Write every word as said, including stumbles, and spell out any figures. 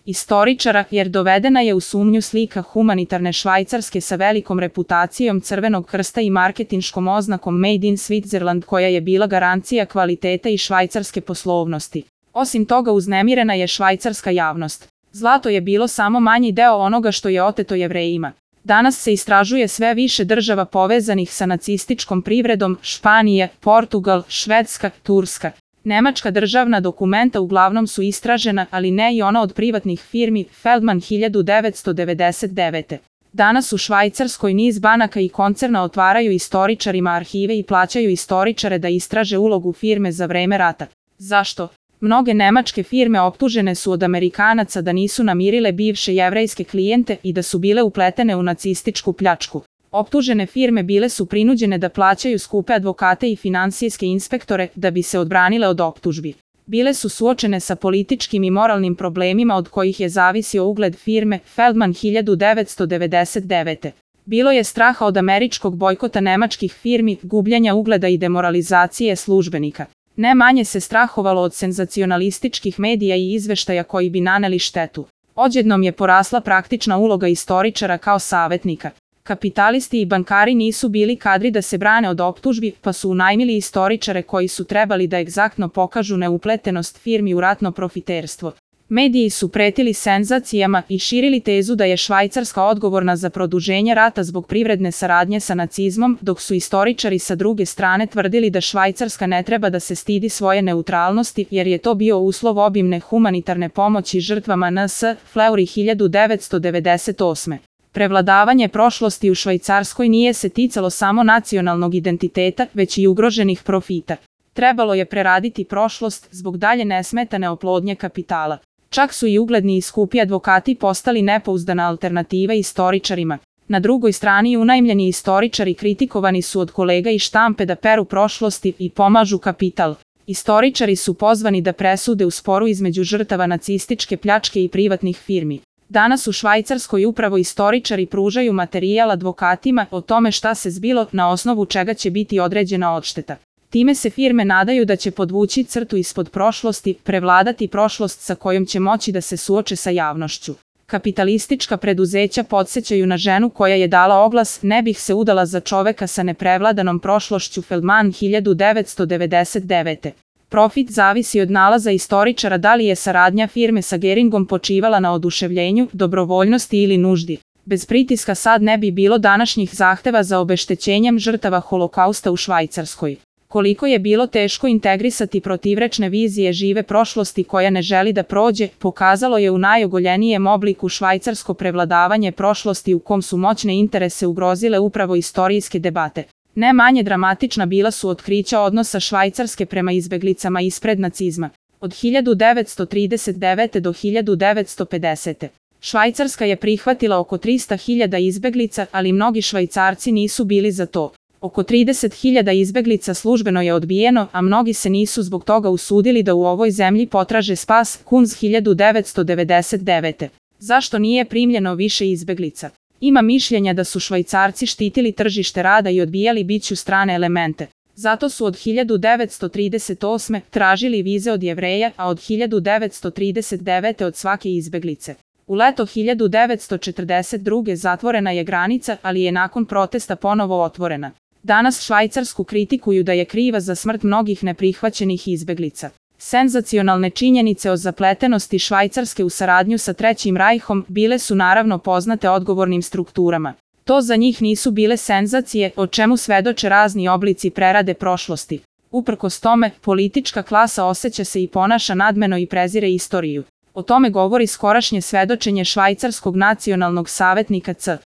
istoričara, jer dovedena je u sumnju slika humanitarne Švajcarske sa velikom reputacijom Crvenog krsta i marketinškom oznakom Made in Switzerland koja je bila garancija kvaliteta i švajcarske poslovnosti. Osim toga uznemirena je švajcarska javnost. Zlato je bilo samo manji deo onoga što je oteto Jevrejima. Danas se istražuje sve više država povezanih sa nacističkom privredom, Španija, Portugal, Švedska, Turska. Nemačka državna dokumenta uglavnom su istražena, ali ne i ona od privatnih firmi Feldman hiljadu devetsto devedeset devete. Danas u Švajcarskoj niz banaka i koncerna otvaraju istoričarima arhive i plaćaju istoričare da istraže ulogu firme za vreme rata. Zašto? Mnoge nemačke firme optužene su od Amerikanaca da nisu namirile bivše jevrejske klijente i da su bile upletene u nacističku pljačku. Optužene firme bile su prinuđene da plaćaju skupe advokate i finansijske inspektore da bi se odbranile od optužbi. Bile su suočene sa političkim i moralnim problemima od kojih je zavisio ugled firme Feldman hiljadu devetsto devedeset devete. Bilo je straha od američkog bojkota nemačkih firmi, gubljenja ugleda i demoralizacije službenika. Ne manje se strahovalo od senzacionalističkih medija i izveštaja koji bi naneli štetu. Odjednom je porasla praktična uloga istoričara kao savetnika. Kapitalisti i bankari nisu bili kadri da se brane od optužbi, pa su unajmili istoričare koji su trebali da egzaktno pokažu neupletenost firmi u ratno profiterstvo. Mediji su pretili senzacijama i širili tezu da je Švajcarska odgovorna za produženje rata zbog privredne saradnje sa nacizmom, dok su istoričari sa druge strane tvrdili da Švajcarska ne treba da se stidi svoje neutralnosti, jer je to bio uslov obimne humanitarne pomoći žrtvama N S. Fleury hiljadu devetsto devedeset osme. Prevladavanje prošlosti u Švajcarskoj nije se ticalo samo nacionalnog identiteta, već i ugroženih profita. Trebalo je preraditi prošlost zbog dalje nesmetane oplodnje kapitala. Čak su i ugledni i skupi advokati postali nepouzdana alternativa istoričarima. Na drugoj strani unajmljeni istoričari kritikovani su od kolega iz štampe da peru prošlosti i pomažu kapital. Istoričari su pozvani da presude u sporu između žrtava nacističke pljačke i privatnih firmi. Danas u Švajcarskoj upravo istoričari pružaju materijal advokatima o tome šta se zbilo, na osnovu čega će biti određena odšteta. Time se firme nadaju da će podvući crtu ispod prošlosti, prevladati prošlost sa kojom će moći da se suoče sa javnošću. Kapitalistička preduzeća podsjećaju na ženu koja je dala oglas "Ne bih se udala za čoveka sa neprevladanom prošlošću" Feldman hiljadu devetsto devedeset devete. Profit zavisi od nalaza istoričara da li je saradnja firme sa Geringom počivala na oduševljenju, dobrovoljnosti ili nuždi. Bez pritiska sad ne bi bilo današnjih zahteva za obeštećenjem žrtava Holokausta u Švajcarskoj. Koliko je bilo teško integrisati protivrečne vizije žive prošlosti koja ne želi da prođe, pokazalo je u najogoljenijem obliku švajcarsko prevladavanje prošlosti u kom su moćne interese ugrozile upravo istorijske debate. Ne manje dramatična bila su otkrića odnosa Švajcarske prema izbeglicama ispred nacizma. Od hiljadu devetsto trideset devete do hiljadu devetsto pedesete. Švajcarska je prihvatila oko trista hiljada izbeglica, ali mnogi Švajcarci nisu bili za to. Oko trideset hiljada izbeglica službeno je odbijeno, a mnogi se nisu zbog toga usudili da u ovoj zemlji potraže spas. Kunz hiljadu devetsto devedeset devete. Zašto nije primljeno više izbeglica? Ima mišljenja da su Švajcarci štitili tržište rada i odbijali biću strane elemente. Zato su od hiljadu devetsto trideset osme. tražili vize od Jevreja, a od hiljadu devetsto trideset devete. od svake izbeglice. U leto hiljadu devetsto četrdeset druge. zatvorena je granica, ali je nakon protesta ponovo otvorena. Danas Švajcarsku kritikuju da je kriva za smrt mnogih neprihvaćenih izbeglica. Senzacionalne činjenice o zapletenosti Švajcarske u saradnju sa Trećim rajhom bile su naravno poznate odgovornim strukturama. To za njih nisu bile senzacije, o čemu svedoče razni oblici prerade prošlosti. Uprkos tome, politička klasa osjeća se i ponaša nadmeno i prezire istoriju. O tome govori skorašnje svedočenje švajcarskog nacionalnog savetnika C.